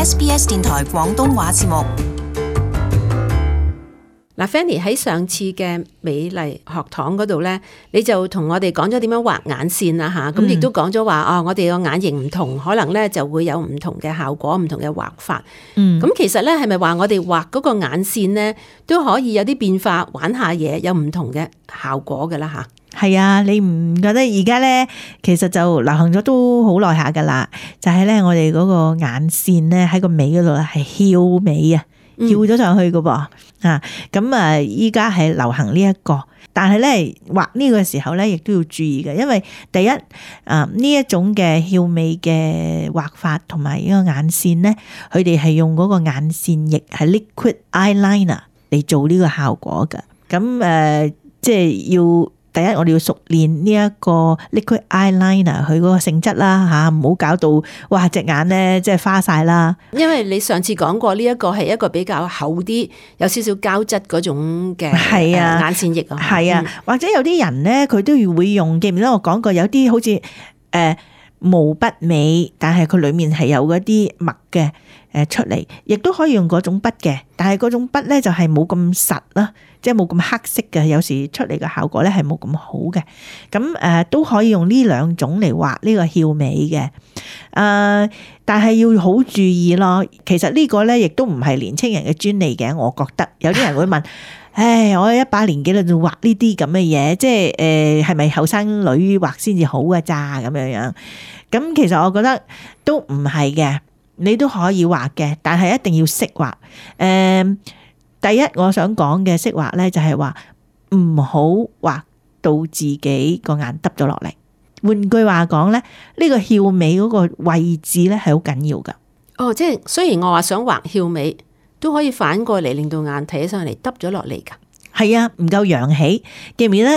SBS 電台廣東話節目。嗱，Fanny 喺上次嘅美麗學堂嗰度咧，你就同我哋講咗點樣畫眼線啊嚇，咁亦都講咗話我哋個眼型唔同，可能咧就會有唔同嘅效果、唔同嘅畫法。咁其實咧係咪話我哋畫嗰個眼線咧都可以有啲變化，玩下嘢，有唔同嘅效果㗎啦嚇？係啊，你唔覺得而家咧其實就流行咗都好耐下㗎啦？就係咧我哋嗰個眼線咧喺個尾嗰度係翹尾啊！翹咗上去噶噃咁啊！依家係流行呢一個，但係咧畫呢個時候咧，亦都要注意嘅，因為第一呢一種嘅翹尾嘅畫法同埋呢個眼線咧，佢哋係用嗰個眼線液係 liquid eyeliner 嚟做呢個效果嘅。咁即係要。第一，我哋要熟練呢一個 liquid eyeliner 佢嗰個性質啦嚇，唔好搞到哇隻眼咧即係花晒啦。因為你上次講過呢一個係一個比較厚啲、有少少膠質嗰種嘅眼線液啊。係啊，或者有啲人咧佢都會用，記唔記得我講過有啲好似毛筆尾，但係佢裡面係有嗰啲墨嘅出嚟，亦都可以用嗰種筆嘅，但係嗰種筆咧就係冇咁實啦。即係冇咁黑色嘅，有時出嚟嘅效果咧係冇咁好嘅。咁都可以用呢兩種嚟畫呢個翹尾嘅。但係要好注意咯。其實呢個咧亦都唔係年青人嘅專利嘅，我覺得有啲人會問：唉，我一把年紀啦，仲畫呢啲咁嘅嘢，即係係咪後生女畫先至好㗎咋咁樣樣？咁其實我覺得都唔係嘅，你都可以畫嘅，但係一定要識畫。第一，我想講嘅識畫咧，就係話唔好畫到自己個眼耷咗落嚟。換句話講咧，呢個翹尾嗰個位置咧係好緊要噶。哦，即係雖然我話想畫翹尾，都可以反過嚟令到眼睇起上嚟耷咗落嚟噶。係啊，唔夠揚起。記唔記得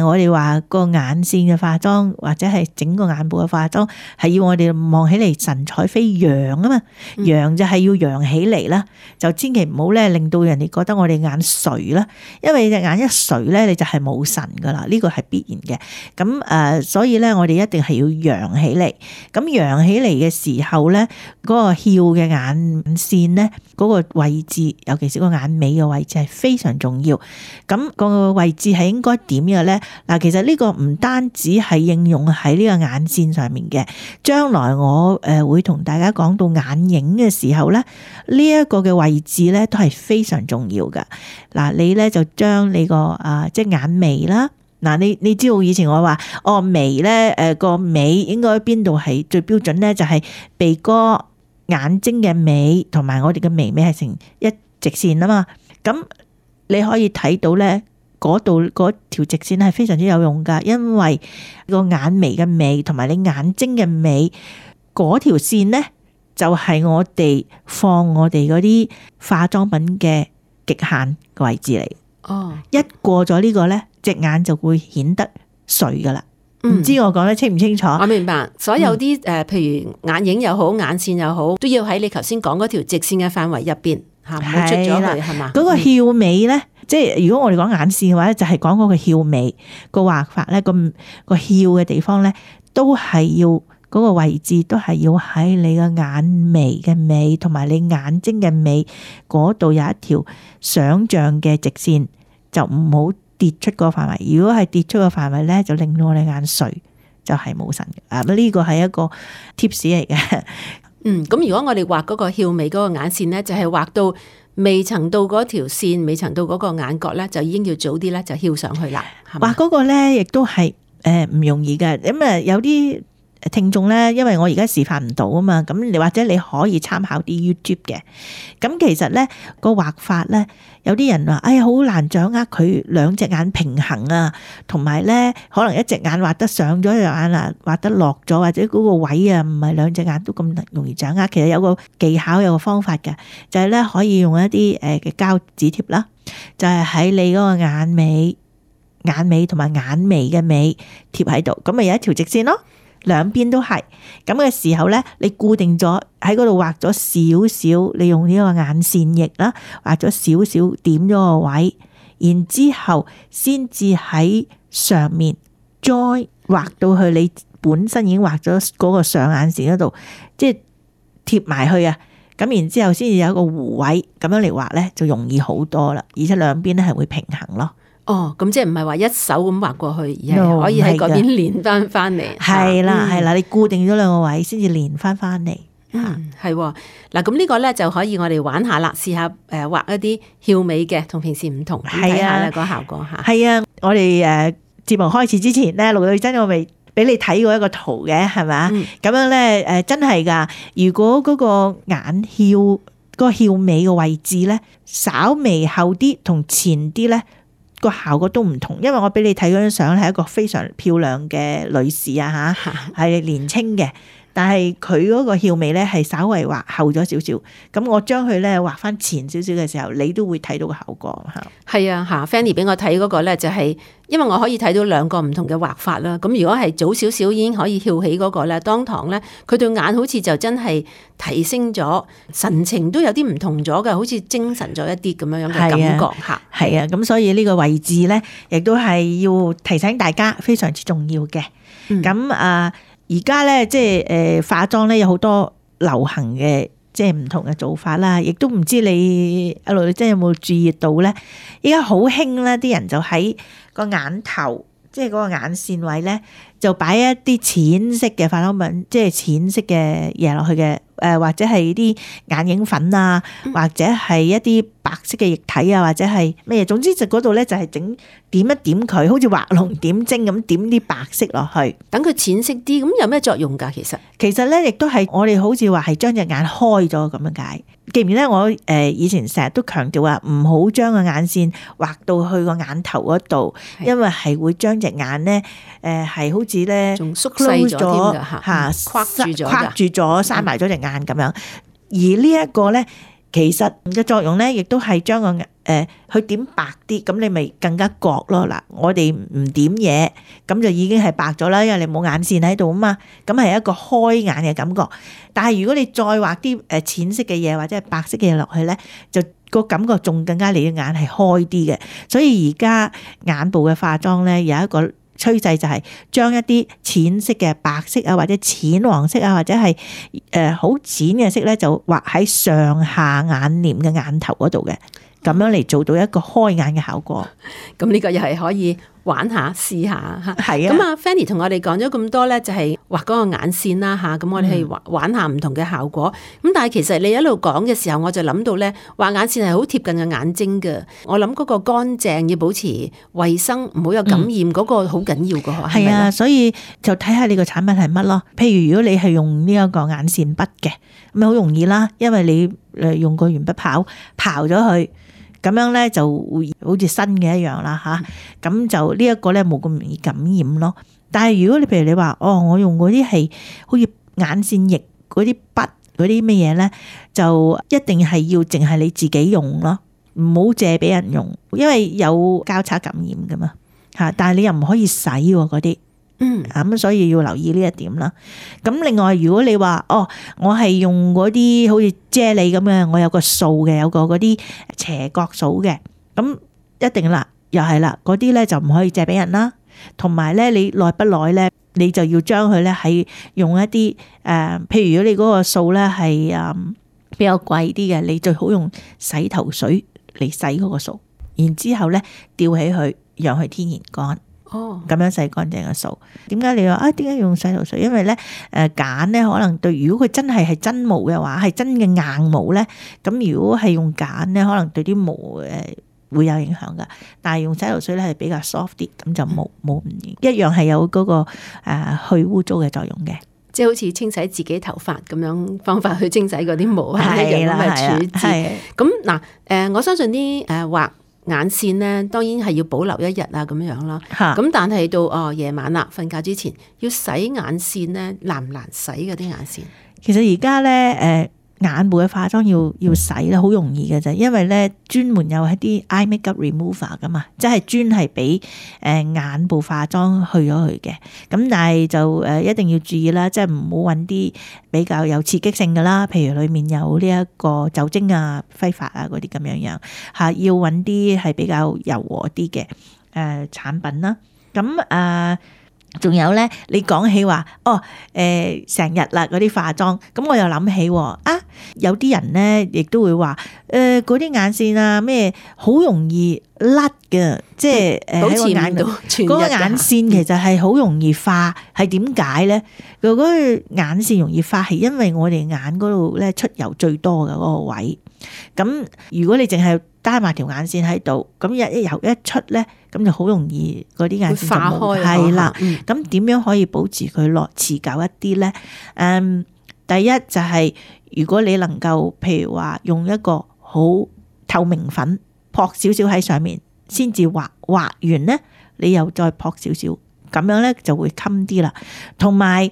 我哋話個眼線嘅化妝或者係整個眼部嘅化妝係要我哋望起嚟神采飛揚啊嘛，揚就係要揚起嚟啦，就千祈唔好咧令到人哋覺得我哋眼垂啦，因為隻眼一垂咧你就係冇神噶啦，呢個係必然嘅。咁所以咧我哋一定係要揚起嚟。咁揚起嚟嘅時候咧，嗰個翹嘅眼線咧，嗰個位置，尤其是個眼尾嘅位置係非常重要。咁個位置係應該點嘅咧？嗱，其實呢個唔單止係應用喺呢個眼線上面嘅，將來我會同大家講到眼影嘅時候咧，呢一個嘅位置咧都係非常重要噶。嗱，你咧就將你個即係眼眉啦。嗱，你知道以前我話眉咧個尾應該邊度係最標準咧？就係鼻哥、眼睛嘅尾同埋我哋嘅眉尾係成一直線啊嘛。咁你可以睇到咧，嗰度嗰條直線係非常之有用噶，因為個眼眉嘅尾同埋你眼睛嘅尾嗰條線咧，就係我哋放我哋嗰啲化妝品嘅極限嘅位置嚟。哦，一過咗呢個咧，隻眼就會顯得垂噶啦。唔知我講得清唔清楚？我明白，所有啲譬如眼影又好，眼線又好，都要喺你頭先講嗰條直線嘅範圍入邊。唔好出咗去係嘛？嗰個翹尾咧，即係如果我哋講眼線嘅話咧，就係講嗰個翹尾個畫法咧，個翹嘅地方咧，都係要嗰個位置都係要喺你個眼眉嘅尾同埋你眼睛嘅尾嗰度有一條想像嘅直線，就唔好跌出個範圍。如果係跌出個範圍咧，就令到我哋眼垂，就係冇神嘅。呢個係一個 tips 嚟嘅。咁如果我哋畫嗰個翹尾嗰個眼線咧，就係畫到未曾到嗰條線，未曾到嗰個眼角咧，就已經要早啲咧就翹上去啦。畫嗰個咧，亦都係唔容易嘅。咁有啲聽眾咧，因為我而家示範唔到啊嘛，咁你或者你可以參考啲 YouTube 嘅。咁其實咧個畫法咧，有啲人話，哎呀好難掌握佢兩隻眼平衡啊，同埋咧可能一隻眼畫得上咗，一隻眼啊畫得落咗，或者嗰個位啊唔係兩隻眼都咁容易掌握。其實有個技巧，有個方法嘅，就係咧可以用一啲嘅膠紙貼啦，就係喺你嗰個眼尾同埋眼眉嘅尾貼喺度，咁咪有一條直線咯。兩邊都係咁嘅時候咧，你固定咗喺嗰度畫咗少少，你用呢個眼線液啦，畫咗少少點咗個位，然之後先至喺上面再畫到去你本身已經畫咗嗰個上眼線嗰度，即係貼埋去啊。咁然之後先至有一個弧位，咁樣嚟畫咧就容易好多啦，而且兩邊咧係會平衡咯。哦，咁即係唔係話一手咁畫過去，而係可以喺嗰邊連翻嚟。係啦係啦，你固定咗兩個位先至連翻嚟。係喎。嗱，咁呢個咧就可以我哋玩下啦，試下畫一啲翹尾嘅，同平時唔同，睇下咧個效果嚇。係啊，我哋節目開始之前咧，陸女真我未俾你睇過一個圖嘅，係咪？咁樣咧真係㗎。如果嗰個眼翹個翹尾嘅位置咧，稍微後啲同前啲咧，個效果都唔同。因為我俾你睇嗰張相係一個非常漂亮嘅女士啊嚇，係年輕嘅。但係佢嗰個翹尾咧係稍微畫後咗少少，咁我將佢咧畫翻前少少嘅時候，你都會睇到個效果嚇。係啊嚇，Fanny 俾我睇嗰個咧就係，因為我可以睇到兩個唔同嘅畫法啦。咁如果係早少少已經可以翹起嗰個咧，當堂咧佢對眼好似就真係提升咗，神情都有啲唔同咗嘅，好似精神咗一啲咁樣嘅感覺嚇。係啊，咁所以呢個位置咧，亦都係要提醒大家非常之重要嘅。咁而家咧，即係化妝咧有好多流行嘅，即係唔同嘅做法啦。亦都唔知你阿陸，你真係有冇注意到咧？依家好興咧，啲人就喺個眼頭，即係嗰個眼線位咧，就擺一啲淺色嘅化妝品，即係淺色嘅嘢落去嘅。或者係啲眼影粉啊，或者係一啲白色嘅液體啊，或者係咩嘢，總之就嗰度咧就係點一點佢，好似畫龍點睛咁點啲白色落去，等佢淺色啲。咁有咩作用㗎？其實咧，亦都係我哋好似話係將隻眼開咗咁樣解。記唔記得我以前成日都強調話唔好將個眼線畫到去個眼頭嗰度，因為係會將隻眼咧係好似咧仲縮細咗添㗎嚇，框住咗閂埋咗隻眼咁樣。而呢一個咧，其實嘅作用咧，亦都係將個去點白啲，咁你咪更加覺咯。嗱，我哋唔點嘢，咁就已經係白咗啦，因為你冇眼線喺度啊嘛，咁係一個開眼嘅感覺。但係如果你再畫啲淺色嘅嘢或者係白色嘅嘢落去咧，就個感覺仲更加你嘅眼係開啲嘅。所以而家眼部嘅化妝咧有一個趨勢就係將一啲淺色嘅白色啊，或者淺黃色啊，或者係好淺嘅色咧，就畫喺上下眼簾嘅眼頭嗰度嘅，咁樣嚟做到一個開眼嘅效果。咁呢個又係可以玩下試下嚇。係啊。咁啊 Fanny 同我哋講咗咁多咧，就係畫嗰個眼線啦嚇。咁我哋係玩下唔同嘅效果。咁但係其實你一路講嘅時候，我就諗到咧，畫眼線係好貼近嘅眼睛嘅。我諗嗰個乾淨要保持衞生，唔好有感染嗰個好緊要嘅。係啊，所以就睇下你個產品係乜咯。譬如如果你係用呢一個眼線筆嘅，咁好容易啦，因為你用個鉛筆刨咗佢。咁樣咧就會好似新嘅一樣啦嚇，咁就呢一個咧冇咁容易感染咯。但係如果你譬如你話我用嗰啲係好似眼線液嗰啲筆嗰啲乜嘢咧，就一定係要淨係你自己用咯，唔好借俾人用，因為有交叉感染噶嘛嚇。但係你又唔可以洗喎嗰啲。咁所以要留意呢一點啦。咁另外，如果你話我係用嗰啲好似啫喱咁嘅，我有個掃嘅，有個嗰啲斜角掃嘅，咁一定啦，又係啦，嗰啲咧就唔可以借俾人啦。同埋咧，你耐不耐咧，你就要將佢咧係用一啲譬如如果你嗰個掃咧係比較貴啲嘅，你最好用洗頭水嚟洗嗰個掃，然之後咧吊起佢，讓佢天然乾。咁樣洗乾淨嘅掃。點解你話點解要用洗頭水？因為咧鹼咧可能對，如果佢真係真毛嘅話，係真嘅硬毛咧，咁如果係用鹼咧，可能對啲毛會有影響噶。但係用洗頭水咧係比較 soft 啲，咁就冇一樣係有嗰個去污糟嘅作用嘅。即係好似清洗自己頭髮咁樣方法去清洗嗰啲毛係一樣咁嘅處置。咁嗱我相信啲畫眼線咧，當然係要保留一日啊咁樣啦。咁但係到夜晚啦，瞓覺之前要洗眼線咧，難唔難洗嗰啲眼線？其實而家咧眼部嘅化妝要洗咧，好容易嘅啫，因為咧專門有一啲 eye makeup remover 噶嘛，即係專係俾眼部化妝去咗佢嘅。咁但係就一定要注意啦，即係唔好揾啲比較有刺激性嘅啦，譬如裡面有呢一個酒精啊、揮發啊嗰啲咁樣嚇，要揾啲係比較柔和啲嘅產品啦。咁仲有咧，你講起話成日啦嗰啲化妝，咁我又諗起有啲人咧亦都會話嗰啲眼線啊咩好容易甩嘅，即係喺個眼度嗰個眼線其實係好容易化，係點解咧？嗰個眼線容易化係因為我哋眼嗰度咧出油最多嘅嗰個位，咁如果你淨係單埋條眼線喺度，咁一油一出咧，咁就好容易嗰啲眼線就冇係啦。咁點樣可以保持佢落持久一啲咧？第一就係如果你能夠譬如話用一個好透明粉撲少少喺上面，先至畫完咧，你又再撲少少，咁樣咧就會襟啲啦。同埋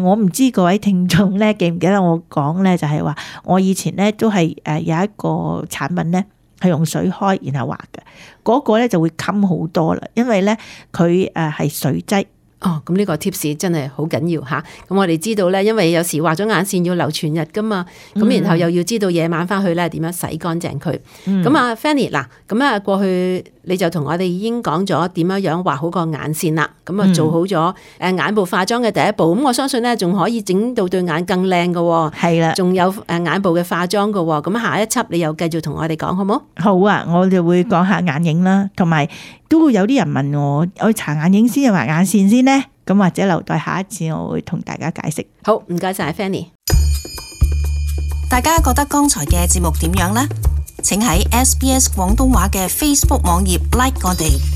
我唔知各位聽眾咧記唔記得我講咧，就係話我以前咧都係有一個產品咧。係用水開然後畫嘅，嗰個咧就會襟好多啦，因為咧佢係水劑。哦，咁呢個 tips 真係好緊要吓。咁我哋知道咧，因為有時畫咗眼線要留全日噶嘛，咁然後又要知道夜晚翻去咧點樣洗乾淨佢。咁啊 Fanny 嗱，咁啊過去你就同我哋已經講咗點樣畫好個眼線啦。咁啊做好咗眼部化妝嘅第一步。咁我相信咧仲可以整到對眼更靚嘅。係啦，仲有眼部嘅化妝嘅。咁下一輯你又繼續同我哋講好冇？好啊，我哋會講下眼影啦，同埋都會有啲人問我搽眼影先定畫眼線先呢？咁或者留待下一次我會同大家解釋。好，唔該晒 Fanny。大家覺得剛才嘅節目點樣呢？請喺SBS 廣東話嘅 Facebook 網頁 like 我哋。